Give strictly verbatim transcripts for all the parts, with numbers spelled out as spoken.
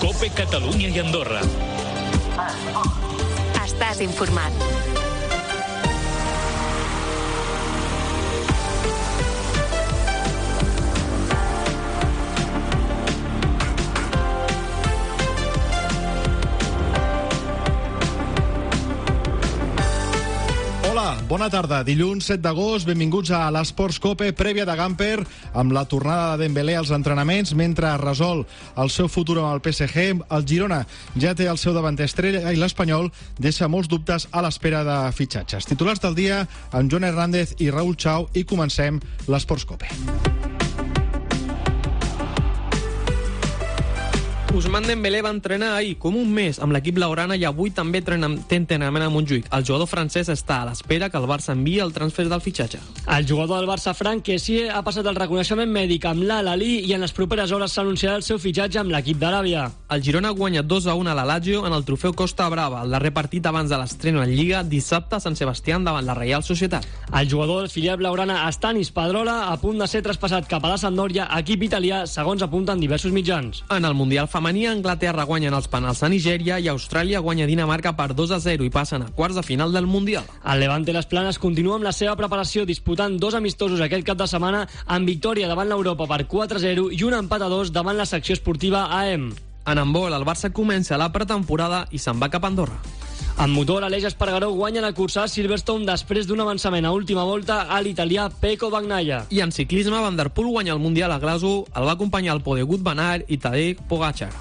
COPE Catalunya i Andorra. Estàs informat. Bona tarda. Dilluns set d'agost, benvinguts a l'Esports COPE, prèvia de Gamper, amb la tornada de Dembélé als entrenaments, mentre resol el seu futur amb el P S G. El Girona ja té el seu davanter estrella i l'Espanyol deixa molts dubtes a l'espera de fitxatges. Titulars del dia amb Joan Hernández i Raúl Chao, i comencem l'Esports COPE. Ousmane Dembélé va entrenar ahir com un mes amb l'equip blaugrana i avui també té entrenament a Montjuïc. El jugador francès està a l'espera que el Barça enviï el transfer del fitxatge. El jugador del Barça, Franck Kessié, ha passat el reconeixement mèdic amb l'Al-Ahly i en les properes hores s'anunciarà el seu fitxatge amb l'equip d'Aràbia. El Girona guanya dos a un a la Lazio en el trofeu Costa Brava, el darrer partit abans de l'estrena en Lliga, dissabte a Sant Sebastián davant la Reial Societat. El jugador del filial blaugrana, Stanis Pedrola, a punt de ser traspassat cap a la Sampdoria, equip italià, segons apunten diversos mitjans. En el Mundial femení, Anglaterra guanya en els penals a Nigèria i Austràlia guanya Dinamarca per dos a zero i passen a quarts de final del Mundial. El Levante Les Planes continua amb la seva preparació, disputant dos amistosos aquest cap de setmana amb victòria davant l'Europa per quatre a zero i un empat a dos davant la secció esportiva A E M. En handbol, el Barça comença la pretemporada i se'n va cap a Andorra. En motor, Aleix Espargaró guanya la cursa a Silverstone després d'un avançament a última volta a l'italià Pecco Bagnaia. I en ciclisme, Van der Poel guanya el Mundial a Glasgow, el va acompanyar el Podegut Van Aert i Tadej Pogačar.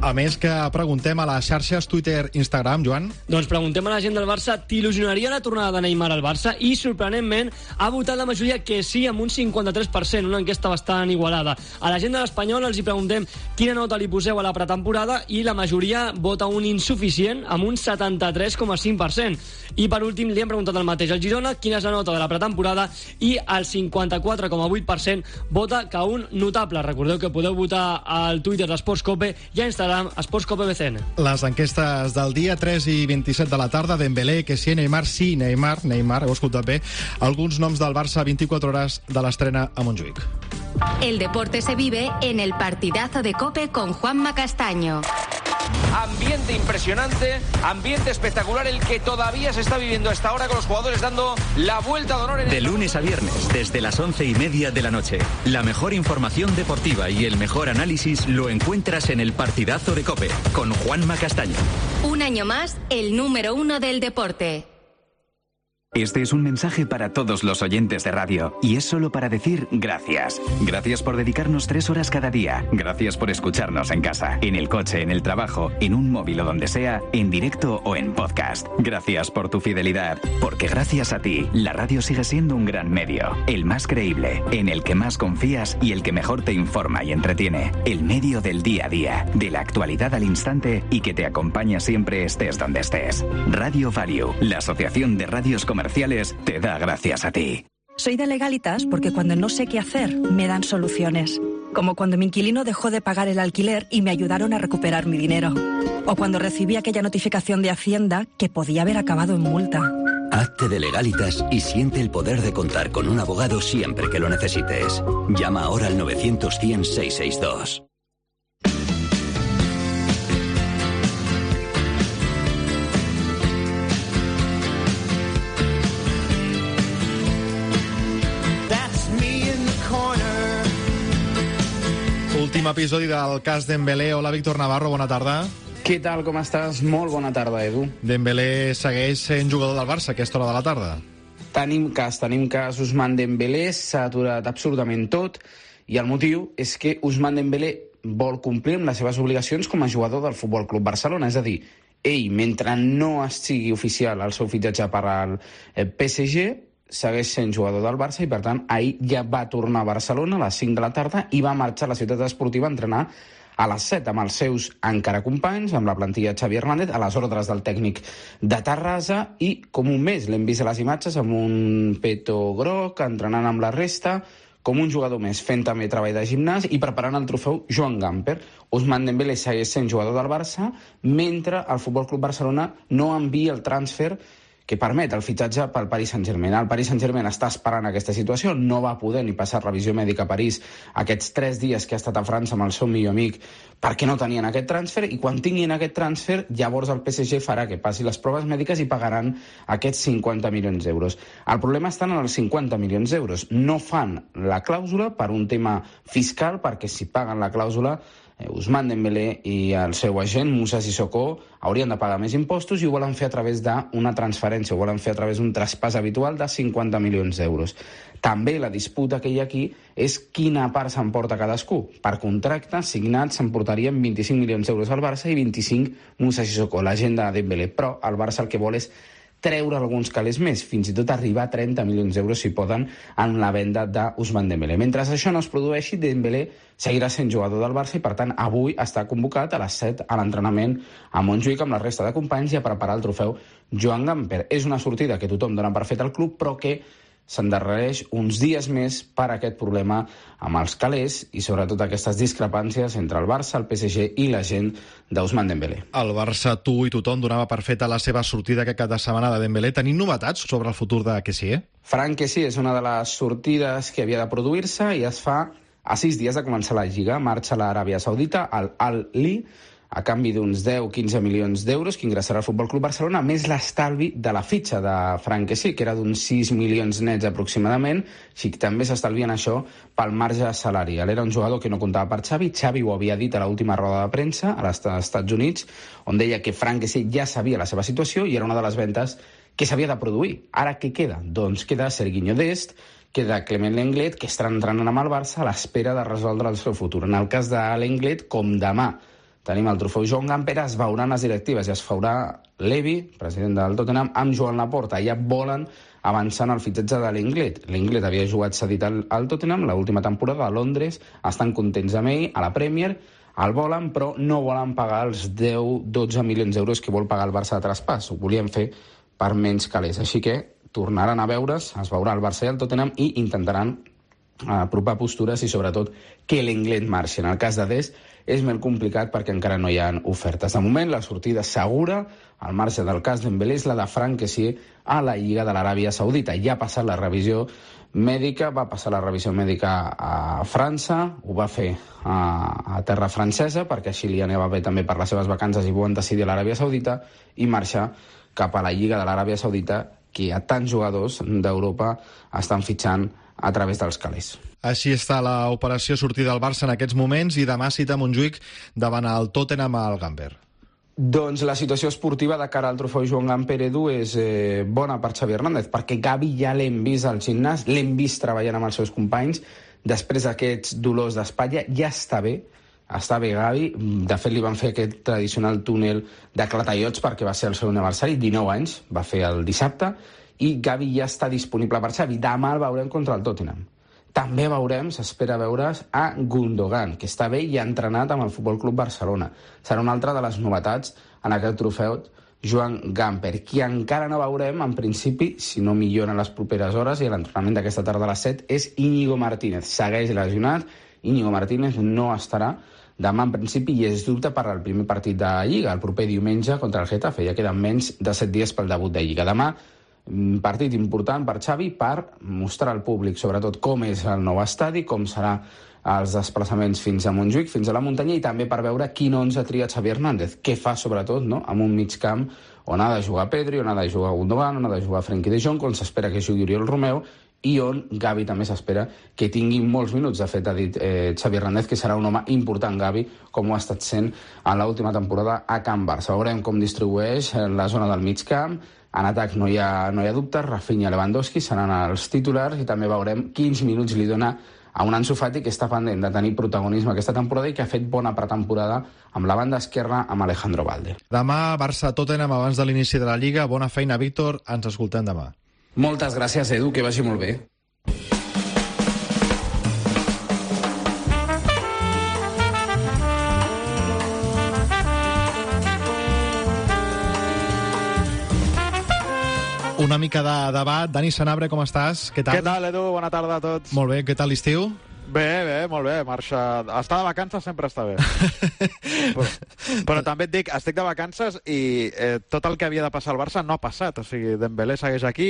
A més, que preguntem a les xarxes Twitter, Instagram, Joan? Doncs preguntem a la gent del Barça, t'il·lusionaria la tornada de Neymar al Barça? I, sorprenentment, ha votat la majoria que sí, amb un cinquanta-tres per cent, una enquesta bastant igualada. A la gent de l'Espanyol els hi preguntem quina nota li poseu a la pretemporada i la majoria vota un insuficient amb un setanta-tres coma cinc per cent. I, per últim, li hem preguntat el mateix al Girona quina és la nota de la pretemporada i el cinquanta-quatre coma vuit per cent vota que un notable. Recordeu que podeu votar al Twitter d'Esports COPE i a Instagram Esports COPE B C N. Les enquestes del dia, tres i vint-i-set de la tarda. Dembélé, Kessié, Neymar, sí, Neymar, Neymar, heu escoltat bé. Alguns noms del Barça a vint-i-quatre hores de l'estrena a Montjuïc. El deporte se vive en el partidazo de COPE con Juanma Castaño. Ambiente impresionante, ambiente espectacular el que todavía se está viviendo a esta hora con los jugadores dando la vuelta de honor. En el... De lunes a viernes, desde las once y media de la noche. La mejor información deportiva y el mejor análisis lo encuentras en el partidazo de COPE con Juanma Castaño. Un año más, el número uno del deporte. Este es un mensaje para todos los oyentes de radio y es solo para decir gracias. Gracias por dedicarnos tres horas cada día. Gracias por escucharnos en casa, en el coche, en el trabajo, en un móvil o donde sea, en directo o en podcast. Gracias por tu fidelidad, porque gracias a ti, la radio sigue siendo un gran medio, el más creíble, en el que más confías y el que mejor te informa y entretiene. El medio del día a día, de la actualidad al instante y que te acompaña siempre estés donde estés. Radio Value, la asociación de radios comerciales, te da gracias a ti. Soy de Legalitas porque cuando no sé qué hacer, me dan soluciones. Como cuando mi inquilino dejó de pagar el alquiler y me ayudaron a recuperar mi dinero. O cuando recibí aquella notificación de Hacienda que podía haber acabado en multa. Hazte de Legalitas y siente el poder de contar con un abogado siempre que lo necesites. Llama ahora al novecientos cien seiscientos sesenta y dos. Últim episodi del cas Dembélé. Hola, Víctor Navarro, bona tarda. Què tal, com estàs? Molt bona tarda, Edu. Dembélé segueix sent jugador del Barça a aquesta hora de la tarda. Tenim cas, tenim cas. Ousmane Dembélé s'ha aturat absolutament tot i el motiu és que Ousmane Dembélé vol complir amb les seves obligacions com a jugador del Futbol Club Barcelona. És a dir, ell, mentre no sigui oficial el seu fitxatge per al P S G, segueix sent jugador del Barça i, per tant, ahir ja va tornar a Barcelona a les cinc de la tarda i va marxar a la ciutat esportiva a entrenar a les set amb els seus encara companys, amb la plantilla Xavi Hernández, a les ordres del tècnic de Terrassa i, com un mes, l'hem vist a les imatges amb un peto groc, entrenant amb la resta, com un jugador més, fent també treball de gimnàs i preparant el trofeu Joan Gamper. Ousmane Dembélé segueix sent jugador del Barça mentre el Futbol Club Barcelona no envia el transfer que permet el fitxatge pel Paris Saint-Germain. El Paris Saint-Germain està esperant aquesta situació, no va poder ni passar revisió mèdica a París aquests tres dies que ha estat a França amb el seu millor amic perquè no tenien aquest transfer, i quan tinguin aquest transfer llavors el P S G farà que passi les proves mèdiques i pagaran aquests cinquanta milions d'euros. El problema està en els cinquanta milions d'euros. No fan la clàusula per un tema fiscal, perquè si paguen la clàusula Ousmane Dembélé i el seu agent, Moussa Sissoko, haurien de pagar més impostos i ho volen fer a través d'una transferència, ho volen fer a través d'un traspàs habitual de cinquanta milions d'euros. També la disputa que hi ha aquí és quina part s'emporta cadascú. Per contracte signat s'emportarien vint-i-cinc milions d'euros al Barça i vint-i-cinc Moussa Sissoko, l'agent de Dembélé. Però el Barça el que vol és treure alguns calés més, fins i tot arribar a trenta milions d'euros si poden en la venda d'Ousmane Dembélé. Mentre això no es produeixi, Dembélé seguirà sent jugador del Barça i per tant avui està convocat a les set a l'entrenament a Montjuïc amb la resta de companys i a preparar el trofeu Joan Gamper. És una sortida que tothom dona per fet al club, però que s'endarrereix uns dies més per aquest problema amb els calés i sobretot aquestes discrepàncies entre el Barça, el P S G i la gent d'Ousmane Dembélé. El Barça, tu i tothom donava per feta la seva sortida aquest cap de setmana de Dembélé. Tenim novetats sobre el futur de Kessié? Franck Kessié és una de les sortides que havia de produir-se i es fa a sis dies de començar la Lliga. Marxa a l'Aràbia Saudita, al Al-Ahly, a canvi d'uns deu a quinze milions d'euros que ingressarà al Futbol Club Barcelona, més l'estalvi de la fitxa de Franck Kessié, que era d'uns sis milions nets aproximadament, així que també s'estalvien això pel marge salarial. Era un jugador que no comptava per Xavi, Xavi ho havia dit a l'última roda de premsa als Estats Units, on deia que Franck Kessié ja sabia la seva situació i era una de les ventes que s'havia de produir. Ara què queda? Doncs queda Serginho Dest, queda Clement Lenglet, que estarà entrenant amb el Barça a l'espera de resoldre el seu futur. En el cas de Lenglet, com demà tenim el trofeu Joan Gamper, es veuran les directives i es faurà Levy, president del Tottenham, amb Joan Laporta. Ja volen avançar en el fitxatge de Lenglet. Lenglet havia jugat cedit al, al Tottenham l'última temporada a Londres, estan contents amb ell, a la Premier, el volen, però no volen pagar els deu a dotze milions d'euros que vol pagar el Barça de traspàs. Ho volien fer per menys calés. Així que tornaran a veure's, es veurà el Barça i el Tottenham i intentaran apropar postures i sobretot que l'Englet marxi. En el cas de Dest és molt complicat perquè encara no hi ha ofertes. De moment, la sortida segura, al marge del cas Dembélé, és la de Franck Kessié a la Lliga de l'Aràbia Saudita. Ja ha passat la revisió mèdica, va passar la revisió mèdica a França, ho va fer a, a terra francesa, perquè així li anava bé també per les seves vacances i van decidir a l'Aràbia Saudita, i marxar cap a la Lliga de l'Aràbia Saudita, que a tants jugadors d'Europa estan fitxant a través dels calés. Així està l'operació sortida del Barça en aquests moments i demà cita Montjuïc davant el Tottenham al Gamper. Doncs la situació esportiva de cara al trofeu Joan Gamper, Edu, és eh, bona per Xavi Hernández, perquè Gavi ja l'hem vist al gimnàs, l'hem vist treballant amb els seus companys, després d'aquests dolors d'espatlla, ja està bé, està bé Gavi. De fet, li van fer aquest tradicional túnel de clatallots perquè va ser el seu aniversari, dinou anys, va fer el dissabte, i Gavi ja està disponible per Xavi. Demà el veurem contra el Tottenham. També veurem, s'espera veure's, a Gundogan, que està bé i ha entrenat amb el Futbol Club Barcelona. Serà una altra de les novetats en aquest trofeu Joan Gamper. Qui encara no veurem, en principi, si no millora en les properes hores i l'entrenament d'aquesta tarda a les set, és Íñigo Martínez. Segueix lesionat, Íñigo Martínez no estarà demà en principi i és dubte per al primer partit de Lliga, el proper diumenge contra el Getafe. Ja queden menys de set dies pel debut de Lliga. Demà, partit important per Xavi per mostrar al públic sobretot com és el nou estadi, com serà els desplaçaments fins a Montjuïc, fins a la muntanya, i també per veure quin onze tria Xavi Hernández, què fa sobretot, no?, amb un mig camp on ha de jugar Pedri, on ha de jugar Gundogan, on ha de jugar Frenkie de Jong, on s'espera que jugui Oriol Romeu i on Gavi també s'espera que tingui molts minuts. De fet, ha dit eh, Xavi Hernández que serà un home important, Gavi, com ho ha estat sent en l'última temporada a Can Barça. Veurem com distribueix la zona del mig camp. En atac no hi ha, no hi ha dubtes, Rafinha i Lewandowski seran els titulars i també veurem quins minuts li dona a un Ansu Fati que està pendent de tenir protagonisme aquesta temporada i que ha fet bona pretemporada amb la banda esquerra amb Alejandro Valde. Demà, Barça-Tottenham abans de l'inici de la Lliga. Bona feina, Víctor. Ens escoltem demà. Moltes gràcies, Edu, que vagi molt bé. Una mica de debat. Dani Senabre, com estàs? Què tal? Què tal, Edu? Bona tarda a tots. Molt bé, què tal l'estiu? Bé, bé, molt bé, marxa... Estar de vacances sempre està bé. però, però també et dic, estic de vacances i eh, tot el que havia de passar al Barça no ha passat. O sigui, Dembélé segueix aquí,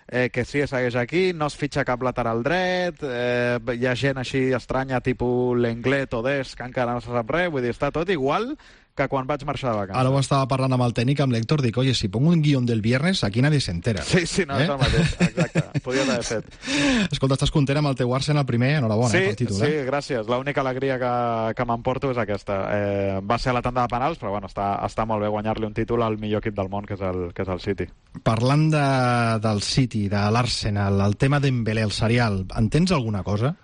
eh, que sí, segueix aquí, no es fitxa cap lateral dret, eh, hi ha gent així estranya, tipus l'Englet o Des, que encara no se sap res, vull dir, està tot igual que quan vaig marxar de vacances. Ara ho estava parlant amb el tècnic, amb l'Héctor, dic, oye, si pongo un guión del viernes, aquí nadie se entera. Sí, sí, no, eh? és el mateix, exacte. Podries haver fet. Escolta, estàs content amb el teu Arsenal primer? Enhorabona, sí, eh, pel títol. Sí, eh? gràcies. L'única alegria que, que m'emporto és aquesta. Eh, va ser a la tanda de penals, però bueno, està, està molt bé guanyar-li un títol al millor equip del món, que és el, que és el City. Parlant de, del City, de l'Arsenal, el tema d'Embélé, el serial, entens alguna cosa?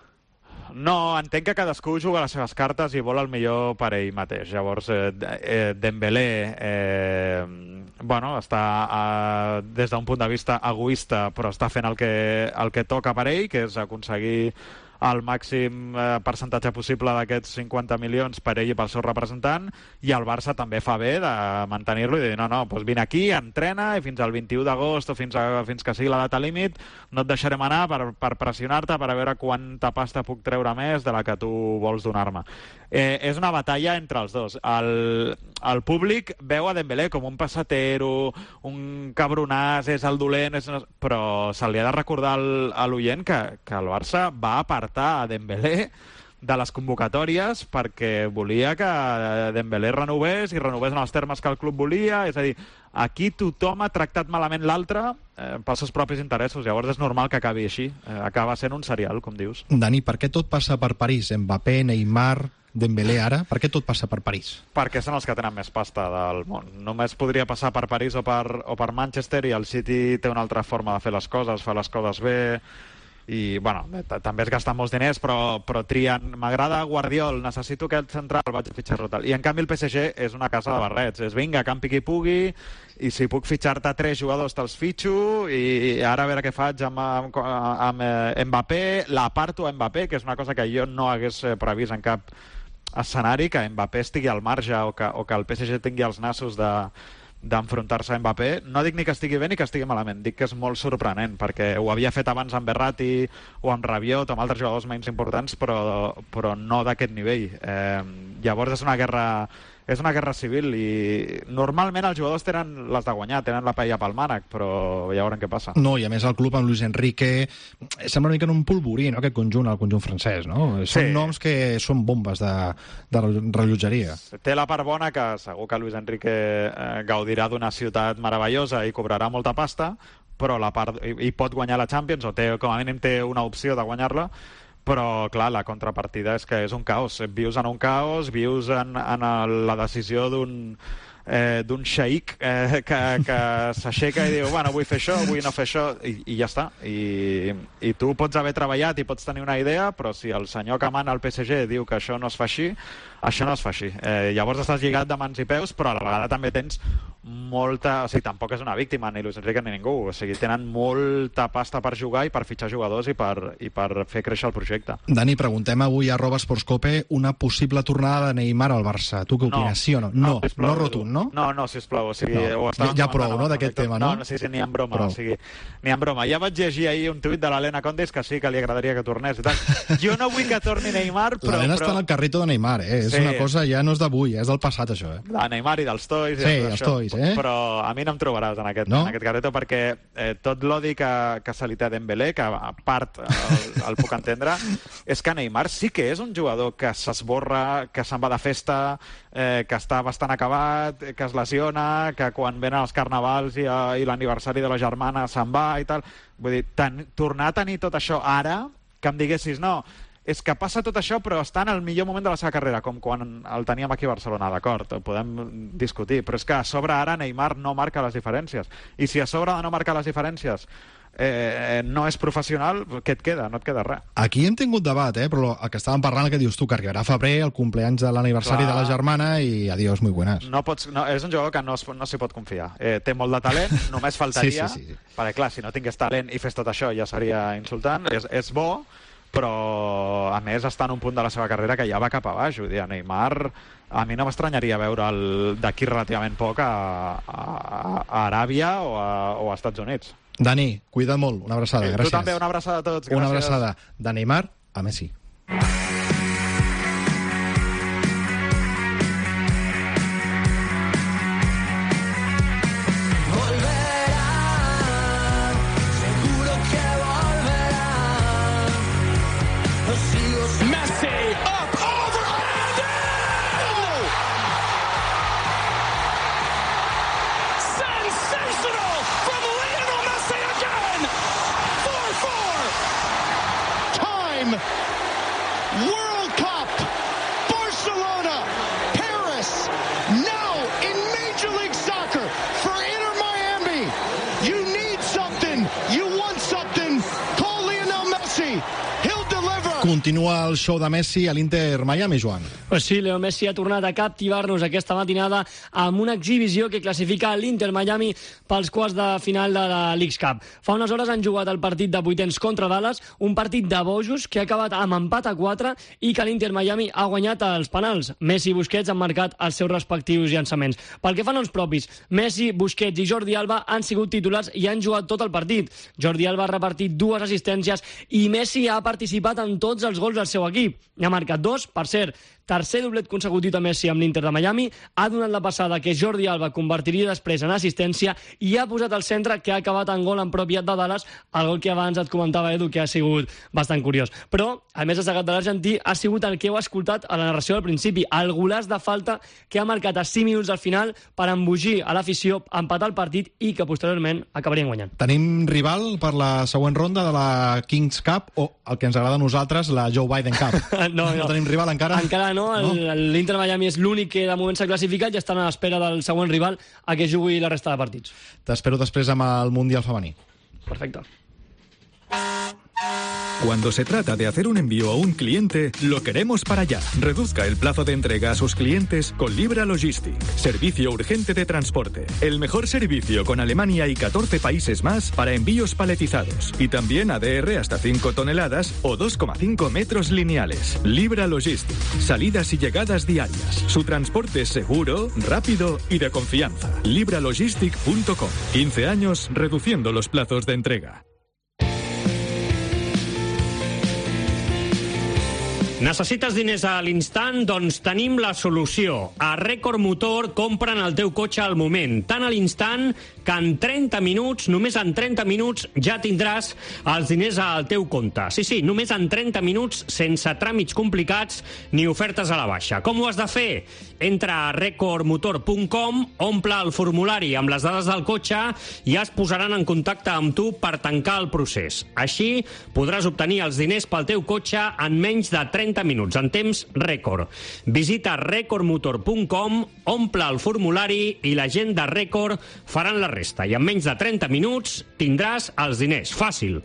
No, entenc que cadascú juga les seves cartes i vol el millor per ell mateix. Llavors, eh, eh, Dembélé eh, bueno, està eh, des d'un punt de vista egoista, però està fent el que, el que toca per ell, que és aconseguir el màxim eh, percentatge possible d'aquests cinquanta milions per ell i pel seu representant, i el Barça també fa bé de mantenir-lo i de dir, no, no, doncs vine aquí, entrena, i fins al vint-i-u d'agost o fins, a, fins que sigui la data límit no et deixarem anar per, per pressionar-te, per a veure quanta pasta puc treure més de la que tu vols donar-me. Eh, és una batalla entre els dos. El, el públic veu a Dembélé com un passatero, un cabronàs, és el dolent, és... però se li ha de recordar al, a l'oient que, que el Barça va apartar a Dembélé de les convocatòries perquè volia que Dembélé renovés i renovés en els termes que el club volia, és a dir, aquí tothom ha tractat malament l'altre eh, pels seus propis interessos, llavors és normal que acabi així, eh, acaba sent un serial, com dius. Dani, per què tot passa per París? Mbappé, Neymar, Dembélé ara? Per què tot passa per París? Perquè són els que tenen més pasta del món. Només podria passar per París o per, o per Manchester, i el City té una altra forma de fer les coses, fa les coses bé, i bueno, també es gasten molts diners, però, però trien, m'agrada Guardiol, necessito aquest central, vaig a fitxar-lo tal. I en canvi el P S G és una casa de barrets, és vinga, campi qui pugui, i si puc fitxar-te tres jugadors te'ls fitxo, i ara a veure què faig amb, amb, amb Mbappé, l'aparto a Mbappé, que és una cosa que jo no hagués previst en cap escenari, que Mbappé estigui al marge o que, o que el P S G tingui els nassos de d'enfrontar-se a Mbappé. No dic ni que estigui bé ni que estigui malament, dic que és molt sorprenent, perquè ho havia fet abans amb Verratti o amb Rabiot o amb altres jugadors menys importants, però, però no d'aquest nivell. Eh, llavors és una guerra és una guerra civil, i normalment els jugadors tenen les de guanyar, tenen la paella pel mànec, però ja veurem què passa. No, i a més el club amb Luis Enrique sembla una mica en un polvorí, no?, aquest conjunt, el conjunt francès, no? Sí. Són noms que són bombes de, de rellotgeria. Té la part bona que segur que Luis Enrique eh, gaudirà d'una ciutat meravellosa i cobrarà molta pasta, però la part, i, i pot guanyar la Champions, o té, com a mínim té una opció de guanyar-la, però, clar, la contrapartida és que és un caos. Vius en un caos, vius en, en la decisió d'un eh, d'un xeic eh, que, que s'aixeca i diu, bueno, vull fer això, vull no fer això, i, i ja està. I, I tu pots haver treballat i pots tenir una idea, però si el senyor que mana al P S G diu que això no es fa així, això no es fa així. Eh, llavors estàs lligat de mans i peus, però a la vegada també tens molta... O sigui, tampoc és una víctima, ni Luis Enrique ni ningú. O sigui, tenen molta pasta per jugar i per fitxar jugadors i per, i per fer créixer el projecte. Dani, preguntem avui a arroba esportscope una possible tornada de Neymar al Barça. Tu què opines, no, sí o no? No, no, no rotund, no? No, no, sisplau. O sigui, no. Ja, ja prou, no, d'aquest tema, no? No, no, sí, sí, ni en broma. O sigui, ni en broma. Ja vaig llegir ahir un tuit de l'Helena Condes que sí que li agradaria que tornés i tal. Jo no vull que torni Neymar, però... L'Helena però... està en el carrito de Neymar, eh? Sí. És una cosa, ja no és d'avui, és del passat, això, eh? De Neymar i dels tois. Sí, els tois, eh? Però a mi no em trobaràs en aquest, no? en aquest carreto, perquè eh, tot l'odi que, que se li té a Dembélé, que a part el, el puc entendre, és que Neymar sí que és un jugador que s'esborra, que se'n va de festa, eh, que està bastant acabat, que es lesiona, que quan venen els carnavals i, i l'aniversari de la germana se'n va i tal. Vull dir, ten, tornar a tenir tot això ara, que em diguessis, no, és que passa tot això però està en el millor moment de la seva carrera, com quan el teníem aquí a Barcelona, d'acord, podem discutir, però és que a sobre ara Neymar no marca les diferències, i si a sobre de no marcar les diferències eh, no és professional, què et queda? No et queda res. Aquí hem tingut debat, eh? Però el que estàvem parlant, el que dius tu, que arribarà a febrer, el compleanys de l'aniversari de la germana, i adiós, muy buenas. No pots, no, és un jugador que no, no s'hi pot confiar. Eh, té molt de talent, només faltaria, sí, sí, sí, sí. perquè clar, si no tingués talent i fes tot això ja seria insultant, és, és bo, però a més està en un punt de la seva carrera que ja va cap a baix. Vull dir, a Neymar a mi no m'estranyaria veure'l d'aquí relativament poc a, a, a Aràbia o a, o a Estats Units. Dani, cuida't molt, una abraçada, gràcies. Tu també, una abraçada a tots, gràcies. Una abraçada de Neymar a Messi. Messi, up, over, and in! Sensational from Lionel Messi again! four four! Time! World Cup! Barcelona! Paris! Now in Major League Soccer for Inter Miami! You need something! You want something! Call Lionel Messi! He'll deliver! Continua el show de Messi a l'Inter Miami, Joan. Pues sí, Leo Messi ha tornat a captivar-nos aquesta matinada amb una exhibició que classifica l'Inter Miami pels quarts de final de la Leagues Cup. Fa unes hores han jugat el partit de vuitens contra Dallas, un partit de bojos que ha acabat amb empat a quatre i que l'Inter Miami ha guanyat els penals. Messi i Busquets han marcat els seus respectius llançaments. Pel que fa a noms propis, Messi, Busquets i Jordi Alba han sigut titulars i han jugat tot el partit. Jordi Alba ha repartit dues assistències i Messi ha participat en tots els gols del seu equip. N'ha marcat dos, per cert, tercer doblet consecutiu de Messi amb l'Inter de Miami, ha donat la passada que Jordi Alba convertiria després en assistència i ha posat al centre que ha acabat en gol en propietat de Dallas, el gol que abans et comentava, Edu, que ha sigut bastant curiós. Però el més destacat de l'argentí ha sigut el que heu escoltat a la narració del principi, el golaç de falta que ha marcat a cinc minuts al final per embogir a l'afició, empatar el partit i que posteriorment acabarien guanyant. Tenim rival per la següent ronda de la Kings Cup o el que ens agrada a nosaltres, la Joe Biden Cup. no, no. no tenim rival encara? Encara no, l'Inter Miami és l'únic que de moment s'ha classificat i estan a l'espera del següent rival a que jugui la resta de partits. T'espero després amb el Mundial femení. Perfecte. Cuando se trata de hacer un envío a un cliente, lo queremos para allá. Reduzca el plazo de entrega a sus clientes con Libra Logistic. Servicio urgente de transporte. El mejor servicio con Alemania y catorce países más para envíos paletizados. Y también A D R hasta cinco toneladas o dos coma cinco metros lineales. Libra Logistic. Salidas y llegadas diarias. Su transporte es seguro, rápido y de confianza. libra logistic punto com. quince años reduciendo los plazos de entrega. Necessites diners a l'instant? Doncs tenim la solució. A Record Motor compren el teu cotxe al moment, tan a l'instant que en trenta minuts, només en trenta minuts, ja tindràs els diners al teu compte. Sí, sí, només en trenta minuts, sense tràmits complicats ni ofertes a la baixa. Com ho has de fer? Entra a record motor punt com, omple el formulari amb les dades del cotxe i es posaran en contacte amb tu per tancar el procés. Així podràs obtenir els diners pel teu cotxe en menys de trenta minuts, en temps rècord. Visita record motor punt com, omple el formulari i la gent de Record faran la resta. I en menys de trenta minuts tindràs els diners. Fàcil.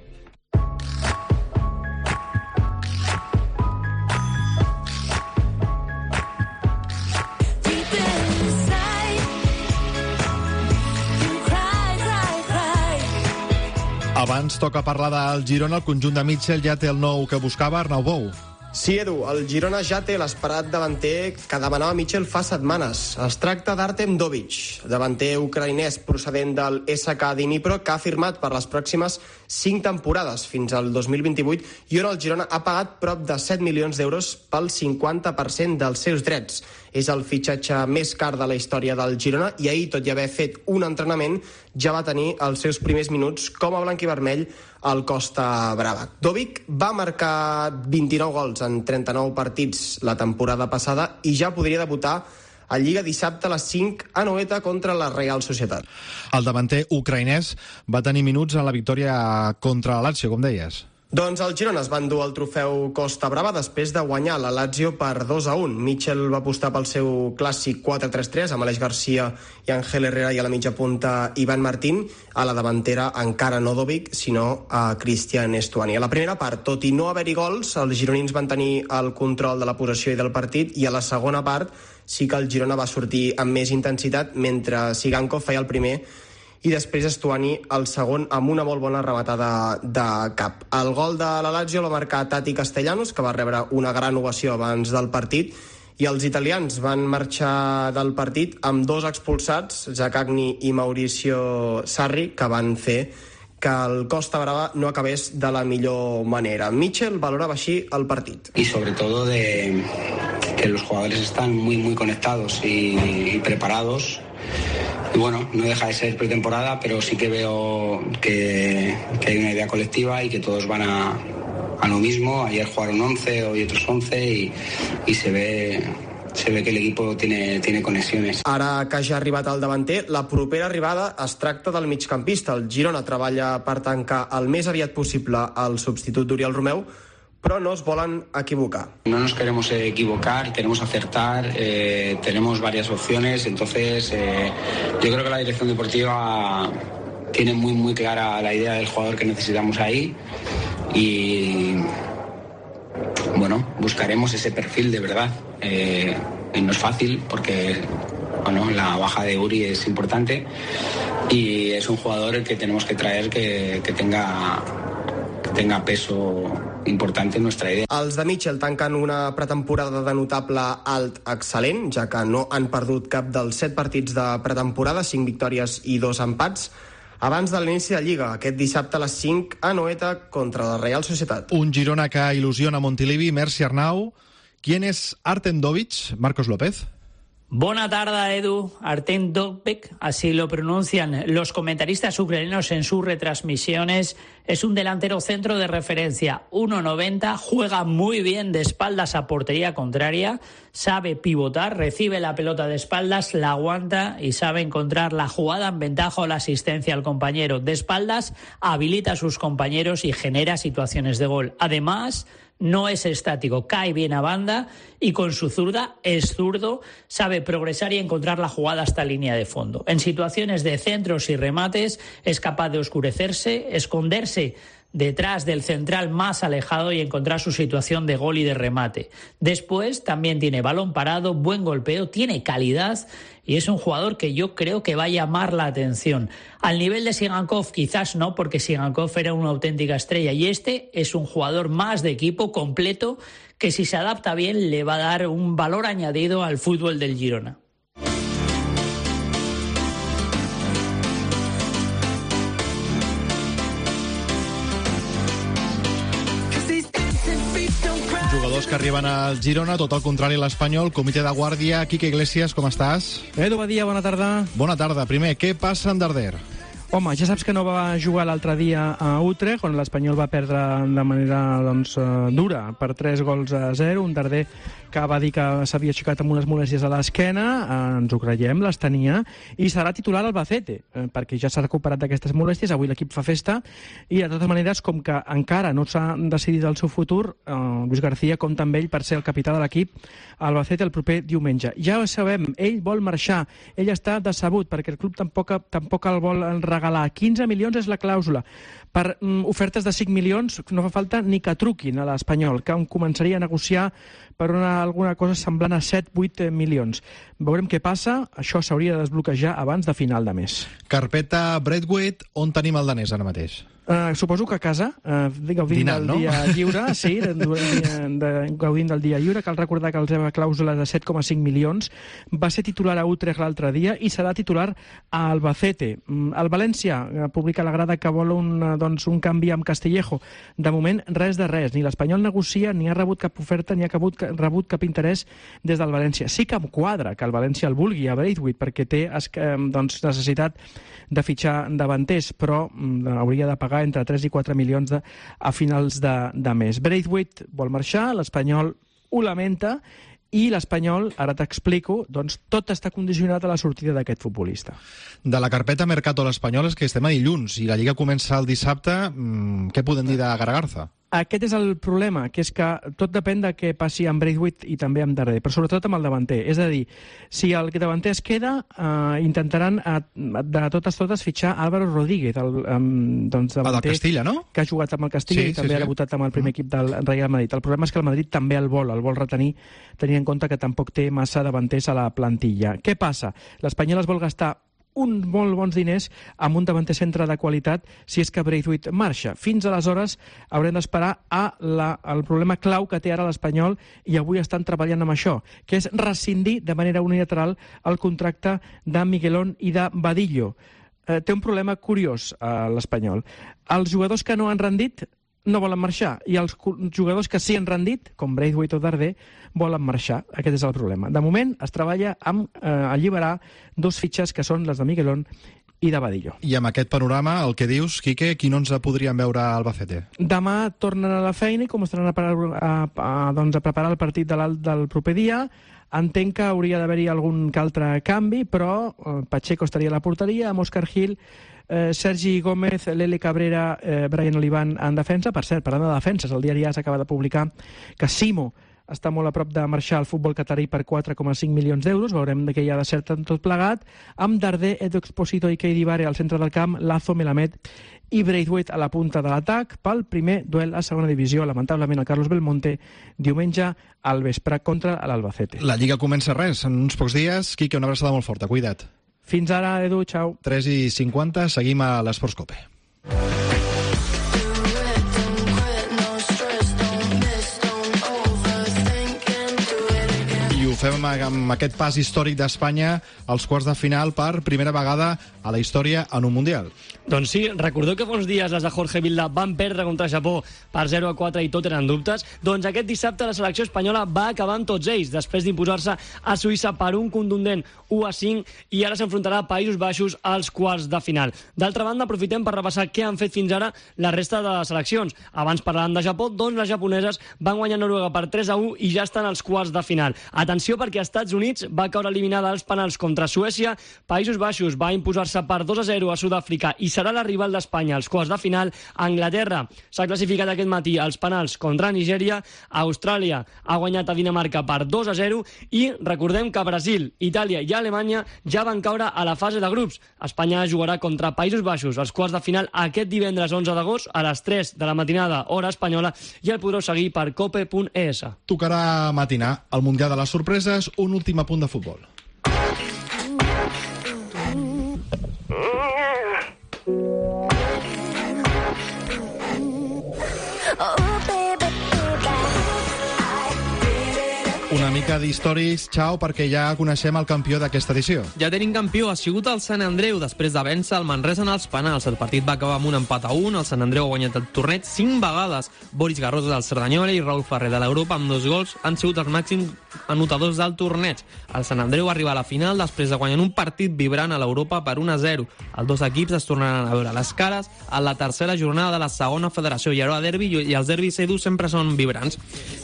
Abans toca parlar del Girona. El conjunt de Mitchell ja té el nou que buscava, Arnau Bou. Sí, Edu, el Girona ja té l'esperat davanter que demanava Mitchell fa setmanes. Es tracta d'Artem Dovich, davanter ucraïnès procedent del S K Dnipro, que ha firmat per les pròximes cinc temporades, fins al dos mil vint-i-vuit, i on el Girona ha pagat prop de set milions d'euros pel cinquanta per cent dels seus drets. És el fitxatge més car de la història del Girona i ahir, tot i haver fet un entrenament, ja va tenir els seus primers minuts com a blanc i vermell al Costa Brava. Dovich va marcar vint-i-nou gols en trenta-nou partits la temporada passada i ja podria debutar a Lliga dissabte a les cinc a Noeta contra la Real Societat. El davanter ucraïnès va tenir minuts en la victòria contra la Lazio, com deies. Doncs el Girona es va endur el trofeu Costa Brava després de guanyar la Lazio per dos a un. Mitchell va apostar pel seu clàssic quatre tres tres amb Aleix Garcia i Ángel Herrera i a la mitja punta Ivan Martín. A la davantera encara no Dovich, sinó a Cristian Estuani. A la primera part, tot i no haver-hi gols, els gironins van tenir el control de la possessió i del partit, i a la segona part sí que el Girona va sortir amb més intensitat, mentre Sigankov feia el primer i després Estuani el segon amb una molt bona rematada de cap. El gol de la Lazio l'ha marcat Tati Castellanos, que va rebre una gran ovació abans del partit, i els italians van marxar del partit amb dos expulsats, Zaccagni i Mauricio Sarri, que van fer que el Costa Brava no acabés de la millor manera. Mitchell valoraba així el partit. Y sobre todo de que los jugadores están muy muy conectados y, y preparados. Y bueno, no deja de ser pretemporada, pero sí que veo que, que hay una idea colectiva y que todos van a, a lo mismo. Ayer jugaron once, hoy otros once y, y se ve... se ve que l'equip tiene, tiene conexiones. Ara que ja ha arribat el davanter, la propera arribada es tracta del migcampista. El Girona treballa per tancar el més aviat possible el substitut d'Oriol Romeu, però no es volen equivocar. No nos queremos equivocar, queremos acertar, eh, tenemos varias opciones, entonces eh, yo creo que la dirección deportiva tiene muy, muy clara la idea del jugador que necesitamos ahí y... bueno, buscaremos ese perfil de verdad. Eh, y no es fácil porque bueno, la baja de Uri es importante y es un jugador que tenemos que traer que, que, tenga, que tenga peso important en nuestra idea. Els de Mitchell tanquen una pretemporada de notable alt excel·lent, ja que no han perdut cap dels set partits de pretemporada, cinc victòries i dos empats, abans de l'inici de Lliga, aquest dissabte a les cinc a Noeta contra la Real Societat. Un Girona que il·lusiona Montilivi, Merci Arnau. ¿Quién es Artem Dovich? Marcos López. Buena tarde, Edu. Artem Dovbyk, así lo pronuncian los comentaristas ucranianos en sus retransmisiones. Es un delantero centro de referencia, uno noventa, juega muy bien de espaldas a portería contraria, sabe pivotar, recibe la pelota de espaldas, la aguanta y sabe encontrar la jugada en ventaja o la asistencia al compañero. De espaldas habilita a sus compañeros y genera situaciones de gol. Además, no es estático, cae bien a banda y con su zurda, es zurdo, sabe progresar y encontrar la jugada hasta línea de fondo. En situaciones de centros y remates es capaz de oscurecerse, esconderse detrás del central más alejado y encontrar su situación de gol y de remate. Después también tiene balón parado, buen golpeo, tiene calidad y es un jugador que yo creo que va a llamar la atención. Al nivel de Sigankov quizás no, porque Sigankov era una auténtica estrella y este es un jugador más de equipo completo que si se adapta bien le va a dar un valor añadido al fútbol del Girona. Jugadors que arriben al Girona, tot el contrari a l'Espanyol, comitè de guàrdia. Quique Iglesias, com estàs? Edu Badia, bona tarda. Bona tarda. Primer, què passa en Darder? Home, ja saps que no va jugar l'altre dia a Utrecht, on l'Espanyol va perdre de manera doncs, dura per tres gols a zero. Un Darder que va dir que s'havia aixecat amb unes molèsties a l'esquena, ens ho creiem, les tenia, i serà titular al Albacete, perquè ja s'ha recuperat d'aquestes molèsties. Avui l'equip fa festa i, de totes maneres, com que encara no s'ha decidit el seu futur, eh, Luis García compta amb ell per ser el capità de l'equip al Albacete el proper diumenge. Ja ho sabem, ell vol marxar, ell està decebut perquè el club tampoc, tampoc el vol regalar. quinze milions és la clàusula. Per mm, ofertes de cinc milions no fa falta ni que truquin a l'Espanyol, que començaria a negociar per una, alguna cosa semblant a set vuit milions. Veurem què passa, això s'hauria de desbloquejar abans de final de mes. Carpeta Braithwaite, on tenim el danès ara mateix? Uh, suposo que a casa, uh, gaudint Dinant, del no? dia lliure, sí, de, de, de, gaudint del dia lliure. Cal recordar que el seva clàusula de set coma cinc milions va ser titular a Utrecht l'altre dia i serà titular a Albacete. El València publica la grada que vol un, doncs, un canvi amb Castillejo. De moment, res de res. Ni l'Espanyol negocia, ni ha rebut cap oferta, ni ha rebut, rebut cap interès des del València. Sí que em quadra que el València el vulgui a Braithwaite, perquè té doncs, necessitat de fitxar davanters, però hauria de pagar entre tres i quatre milions de, a finals de, de mes. Braithwaite vol marxar, l'Espanyol ho lamenta, i l'Espanyol, ara t'explico, doncs tot està condicionat a la sortida d'aquest futbolista. De la carpeta Mercato a l'Espanyol és que estem a dilluns i la Lliga comença el dissabte. Mm, què podem dir de Garagarza? Aquest és el problema, que és que tot depèn de què passi amb Braithwaite i també amb Darder, però sobretot amb el davanter. És a dir, si el davanter es queda, eh, intentaran eh, de totes totes fitxar Álvaro Rodríguez, el eh, doncs, davanter del Castilla, no? Que ha jugat amb el Castilla sí, i també sí, sí. ha debutat amb el primer equip del Real Madrid. El problema és que el Madrid també el vol, el vol retenir, tenint en compte que tampoc té massa davanters a la plantilla. Què passa? L'Espanyol es vol gastar uns molt bons diners amb un davanter centre de qualitat si és que Braithwaite marxa. Fins aleshores haurem d'esperar a la, el problema clau que té ara l'Espanyol i avui estan treballant amb això, que és rescindir de manera unilateral el contracte de Miguelón i de Badillo. Eh, té un problema curiós a l'Espanyol. Els jugadors que no han rendit no volen marxar, i els jugadors que sí han rendit, com Braithwaite o Darder, volen marxar. Aquest és el problema. De moment es treballa amb eh, alliberar dos fitxes que són les de Miguelón i de Badillo. I amb aquest panorama, el que dius, Quique, quin onze podríem veure a Albacete? Demà tornen a la feina i començaran a, parar, a, a, doncs a preparar el partit de del proper dia. Entenc que hauria d'haver-hi algun que altre canvi, però eh, Pacheco estaria a la porteria, amb Òscar Gil, eh, Sergi Gómez, Lele Cabrera, eh, Brian Olivan en defensa. Per cert, parlant de defenses, el diari A S acaba de publicar que Simo està molt a prop de marxar al futbol catarí per quatre coma cinc milions d'euros. Veurem de què hi ha de cert en tot plegat. Amb Darder, Edu Exposito i Keidi Bare al centre del camp, Lazo, Melamed i Braithwaite a la punta de l'atac pel primer duel a segona divisió. Lamentablement, el Carlos Belmonte diumenge al vespre contra l'Albacete. La Lliga comença res, en uns pocs dies. Quique, una abraçada molt forta, cuida't. Fins ara, Edu, xau. tres i cinquanta, seguim a l'Esports Cope. Fem amb aquest pas històric d'Espanya als quarts de final per primera vegada a la història en un Mundial. Doncs sí, recordeu que fa uns dies les de Jorge Vilda van perdre contra Japó per zero a quatre i tot eren dubtes? Doncs aquest dissabte la selecció espanyola va acabar amb tots ells, després d'imposar-se a Suïssa per un contundent u a cinc i ara s'enfrontarà a Països Baixos als quarts de final. D'altra banda, aprofitem per repassar què han fet fins ara la resta de seleccions. Abans parlàvem de Japó, doncs les japoneses van guanyar Noruega per tres a u i ja estan als quarts de final. Atenció, perquè als Estats Units va caure eliminada als penals contra Suècia, Països Baixos va imposar-se per dos a zero a Sud-àfrica i serà la rival d'Espanya als quarts de final. Anglaterra s'ha classificat aquest matí als penals contra Nigèria, Austràlia ha guanyat a Dinamarca per dos a zero i recordem que Brasil, Itàlia i Alemanya ja van caure a la fase de grups. Espanya jugarà contra Països Baixos als quarts de final aquest divendres onze d'agost a les tres de la matinada hora espanyola i el podreu seguir per cope punt es. Tocarà matinar el Mundial de les Sorpreses, un últim apunt de futbol. Una mica d'històries, Xau, perquè ja coneixem el campió d'aquesta edició. Ja tenim campió, ha sigut el Sant Andreu, després de vèncer el Manresa en els penals. El partit va acabar amb un empat a un, el Sant Andreu ha guanyat el torneig cinc vegades. Boris Garrosa del Cerdanyola i Raúl Ferrer de l'Europa, amb dos gols, han sigut els màxims anotadors del torneig. El Sant Andreu va arribar a la final després de guanyar un partit vibrant a l'Europa per un a zero. Els dos equips es tornaran a veure les cares a la tercera jornada de la segona federació, i ara derbi, i els derbis Edu sempre són vibrants.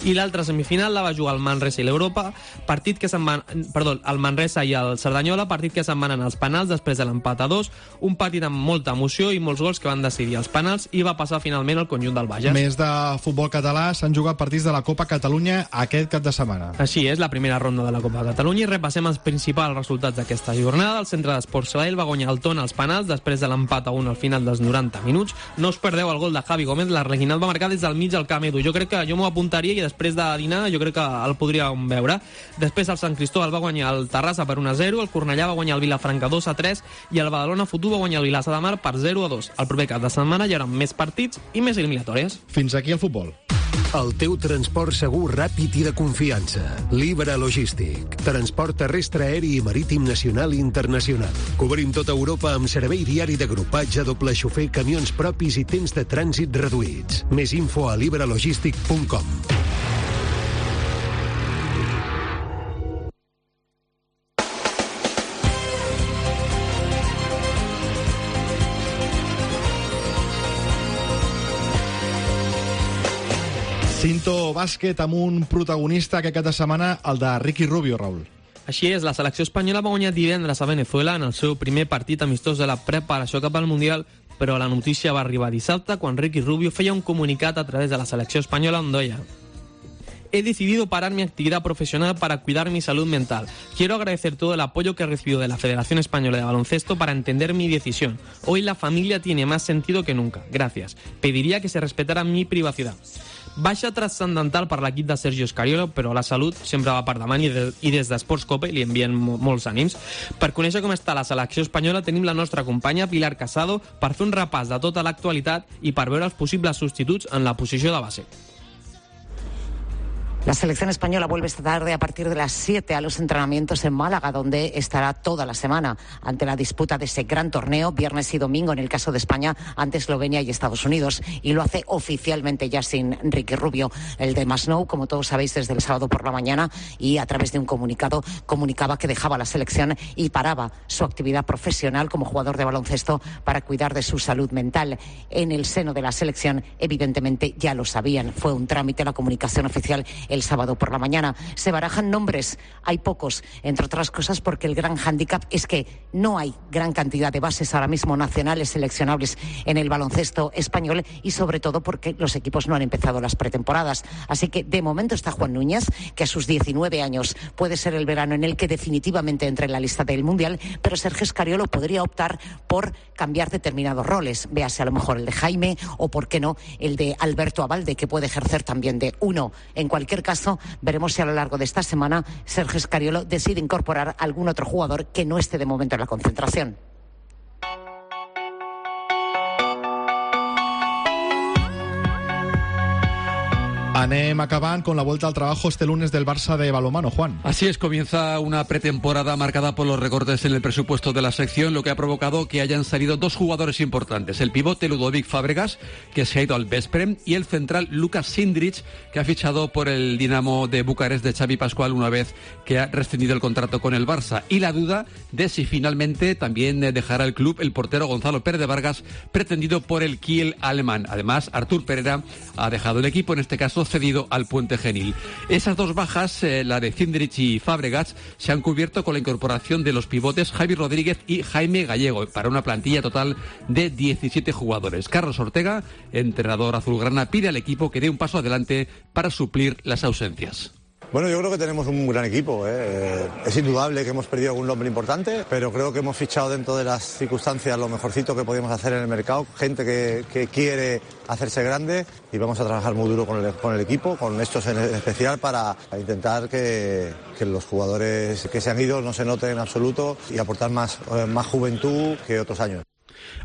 I l'altra semifinal la va jugar el Manresa i l'Europa, partit que se'n van, perdó, el Manresa i el Cerdanyola, partit que se'n van anar als penals després de l'empat a dos, un partit amb molta emoció i molts gols que van decidir els penals, i va passar finalment el conjunt del Bages. Més de futbol català, s'han jugat partits de la Copa Catalunya aquest cap de setmana. Així és, la primera ronda de la Copa Catalunya, i repassem els principals resultats d'aquesta jornada. El Centre d'Esports Sabadell va guanyar el Tona als penals després de l'empat a un al final dels noranta minuts. No us perdeu el gol de Javi Gómez, l'Arlequinat va marcar des del mig del camp, Edu. Jo crec que jo m'ho apuntaria i després de dinar jo crec que el podríem veure. Després el Sant Cristóbal va guanyar el Terrassa per un a zero, el Cornellà va guanyar el Vilafranca dos a tres i el Badalona Futbol va guanyar el Vilassar de Mar per zero a dos. El proper cap de setmana hi haurà més partits i més eliminatòries. Fins aquí el futbol. El teu transport segur, ràpid i de confiança. Libra Logístic. Transport terrestre, aeri i marítim nacional i internacional. Cobrim tota Europa amb servei diari d'agrupatge, doble xofer, camions propis i temps de trànsit reduïts. Més info a libralogistic punt com. Cinto bàsquet amb un protagonista que aquesta setmana, el de Ricky Rubio, Raúl. Així és, la selecció espanyola va guanyar divendres a Venezuela en el seu primer partit amistós de la preparació cap al Mundial, però la notícia va arribar dissabte quan Ricky Rubio feia un comunicat a través de la selecció espanyola on deia: he decidido parar mi actividad profesional para cuidar mi salud mental. Quiero agradecer todo el apoyo que he recibido de la Federación Española de Baloncesto para entender mi decisión. Hoy la familia tiene más sentido que nunca. Gracias. Pediría que se respetara mi privacidad. Baixa transcendental per l'equip de Sergio Scariolo, però la salut sempre va per davant i, de, i des d'Esports Cope li envien mo molts ànims. Per conèixer com està la selecció espanyola tenim la nostra companya Pilar Casado per fer un repàs de tota l'actualitat i per veure els possibles substituts en la posició de base. La selección española vuelve esta tarde a partir de las siete a los entrenamientos en Málaga, donde estará toda la semana ante la disputa de ese gran torneo, viernes y domingo en el caso de España, ante Eslovenia y Estados Unidos. Y lo hace oficialmente ya sin Ricky Rubio. El de Masnou, como todos sabéis, desde el sábado por la mañana y a través de un comunicado comunicaba que dejaba la selección y paraba su actividad profesional como jugador de baloncesto para cuidar de su salud mental. En el seno de la selección, evidentemente, ya lo sabían. Fue un trámite la comunicación oficial el sábado por la mañana. Se barajan nombres, hay pocos, entre otras cosas porque el gran hándicap es que no hay gran cantidad de bases ahora mismo nacionales seleccionables en el baloncesto español y sobre todo porque los equipos no han empezado las pretemporadas. Así que de momento está Juan Núñez, que a sus diecinueve años puede ser el verano en el que definitivamente entre en la lista del Mundial, pero Sergio Escariolo podría optar por cambiar determinados roles, véase a lo mejor el de Jaime o por qué no el de Alberto Abalde, que puede ejercer también de uno. En cualquier caso, veremos si a lo largo de esta semana Sergio Escariolo decide incorporar algún otro jugador que no esté de momento en la concentración. Anem acabant con la vuelta al trabajo este lunes del Barça de balonmano, Juan. Así es, comienza una pretemporada marcada por los recortes en el presupuesto de la sección, lo que ha provocado que hayan salido dos jugadores importantes. El pivote Ludovic Fábregas, que se ha ido al Veszprém, y el central Lukas Sindrich, que ha fichado por el Dinamo de Bucarest de Xavi Pascual una vez que ha rescindido el contrato con el Barça. Y la duda de si finalmente también dejará el club el portero Gonzalo Pérez de Vargas, pretendido por el Kiel alemán. Además, Artur Pereira ha dejado el equipo, en este caso cedido al Puente Genil. Esas dos bajas, eh, la de Cindrich y Fábregas, se han cubierto con la incorporación de los pivotes Javi Rodríguez y Jaime Gallego, para una plantilla total de diecisiete jugadores. Carlos Ortega, entrenador azulgrana, pide al equipo que dé un paso adelante para suplir las ausencias. Bueno, yo creo que tenemos un gran equipo, ¿eh? Es indudable que hemos perdido algún nombre importante, pero creo que hemos fichado dentro de las circunstancias lo mejorcito que podíamos hacer en el mercado, gente que, que quiere hacerse grande, y vamos a trabajar muy duro con el, con el equipo, con estos en especial, para intentar que, que los jugadores que se han ido no se noten en absoluto y aportar más, más juventud que otros años.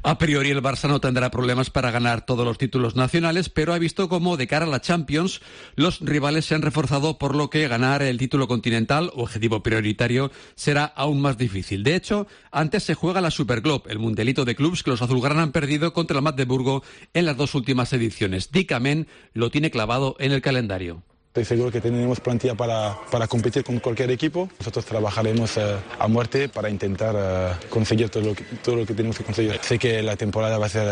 A priori el Barça no tendrá problemas para ganar todos los títulos nacionales, pero ha visto cómo de cara a la Champions los rivales se han reforzado, por lo que ganar el título continental, objetivo prioritario, será aún más difícil. De hecho, antes se juega la Superglobe, el mundialito de clubs que los azulgrana han perdido contra el Magdeburgo en las dos últimas ediciones. Dick Amen lo tiene clavado en el calendario. Estoy seguro que tenemos plantilla para, para competir con cualquier equipo. Nosotros trabajaremos uh, a muerte para intentar uh, conseguir todo lo, que, todo lo que tenemos que conseguir. Sé que la temporada va a ser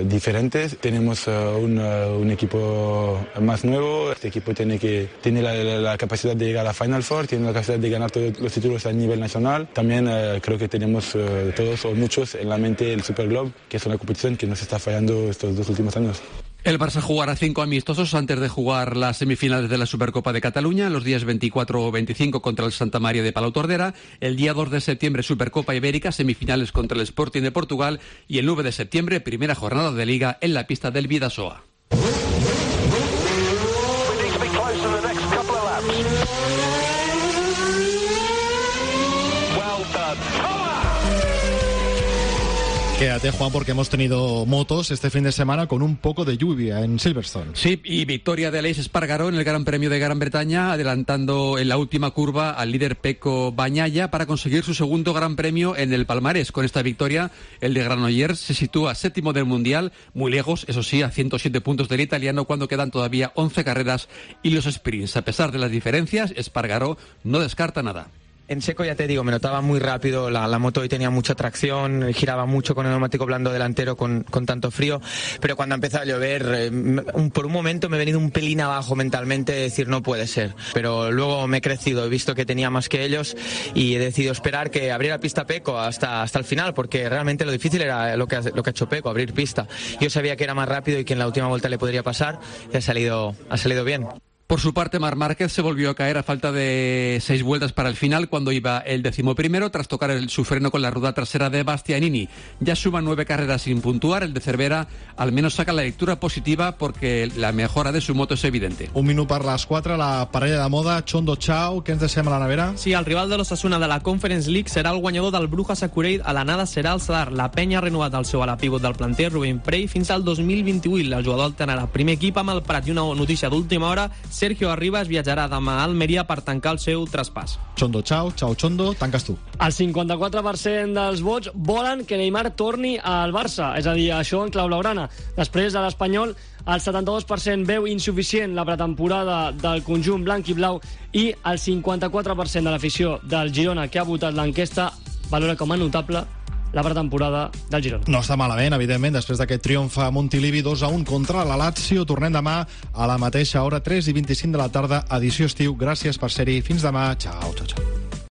uh, diferente. Tenemos uh, un, uh, un equipo más nuevo. Este equipo tiene, que, tiene la, la, la capacidad de llegar a la Final Four, tiene la capacidad de ganar todos los títulos a nivel nacional. También uh, creo que tenemos uh, todos o muchos en la mente el Super Globe, que es una competición que nos está fallando estos dos últimos años. El Barça jugará cinco amistosos antes de jugar las semifinales de la Supercopa de Cataluña, los días veinticuatro o veinticinco contra el Santa María de Palau Tordera, el día dos de septiembre Supercopa Ibérica, semifinales contra el Sporting de Portugal, y el nueve de septiembre primera jornada de Liga en la pista del Bidasoa. Quédate, Juan, porque hemos tenido motos este fin de semana con un poco de lluvia en Silverstone. Sí, y victoria de Aleix Espargaró en el Gran Premio de Gran Bretaña, adelantando en la última curva al líder Pecco Bagnaia para conseguir su segundo Gran Premio en el palmarés. Con esta victoria, el de Granollers se sitúa séptimo del Mundial, muy lejos, eso sí, a ciento siete puntos del italiano, cuando quedan todavía once carreras y los sprints. A pesar de las diferencias, Espargaró no descarta nada. En seco, ya te digo, me notaba muy rápido, la, la moto hoy tenía mucha tracción, giraba mucho con el neumático blando delantero con, con tanto frío, pero cuando ha empezado a llover, eh, un, por un momento me he venido un pelín abajo mentalmente de decir no puede ser, pero luego me he crecido, he visto que tenía más que ellos y he decidido esperar que abriera pista Pecco hasta, hasta el final, porque realmente lo difícil era lo que, ha, lo que ha hecho Pecco, abrir pista. Yo sabía que era más rápido y que en la última vuelta le podría pasar y ha salido, ha salido bien. Por su parte, Marc Márquez se volvió a caer a falta de seis vueltas para el final, cuando iba el decimoprimero tras tocar el, su freno con la rueda trasera de Bastianini. Ya suma nueve carreras sin puntuar. El de Cervera al menos saca la lectura positiva porque la mejora de su moto és evidente. Un minut per les quatre, la parella de moda, Chondo Chao, què ens deixem a la nevera? Sí, el rival de l'Osasuna de la Conference League serà el guanyador del Brujas Akureyri, a l'anada serà el Sadar. La penya ha renovat el seu ala pívot del planter, Rubén Prey, fins al dos mil vint-i-vuit. El jugador alternarà primer equip amb el Prat. I una notícia d'última hora, Sergio Arribas viatjarà demà a Almeria per tancar el seu traspàs. Chondo, ciao, ciao, Chondo, tanques tu. El cinquanta-quatre per cent dels vots volen que Neymar torni al Barça, és a dir, això en clau blaugrana. Després de l'Espanyol, el setanta-dos per cent veu insuficient la pretemporada del conjunt blanc i blau i el cinquanta-quatre per cent de l'afició del Girona que ha votat l'enquesta valora com a notable la pretemporada del Girona. No està malament, evidentment, després d'aquest triomf a Montilivi dos a un contra la Lazio. Tornem demà a la mateixa hora, tres i vint-i-cinc de la tarda, edició estiu. Gràcies per ser-hi. Fins demà. Ciao, ciao, ciao.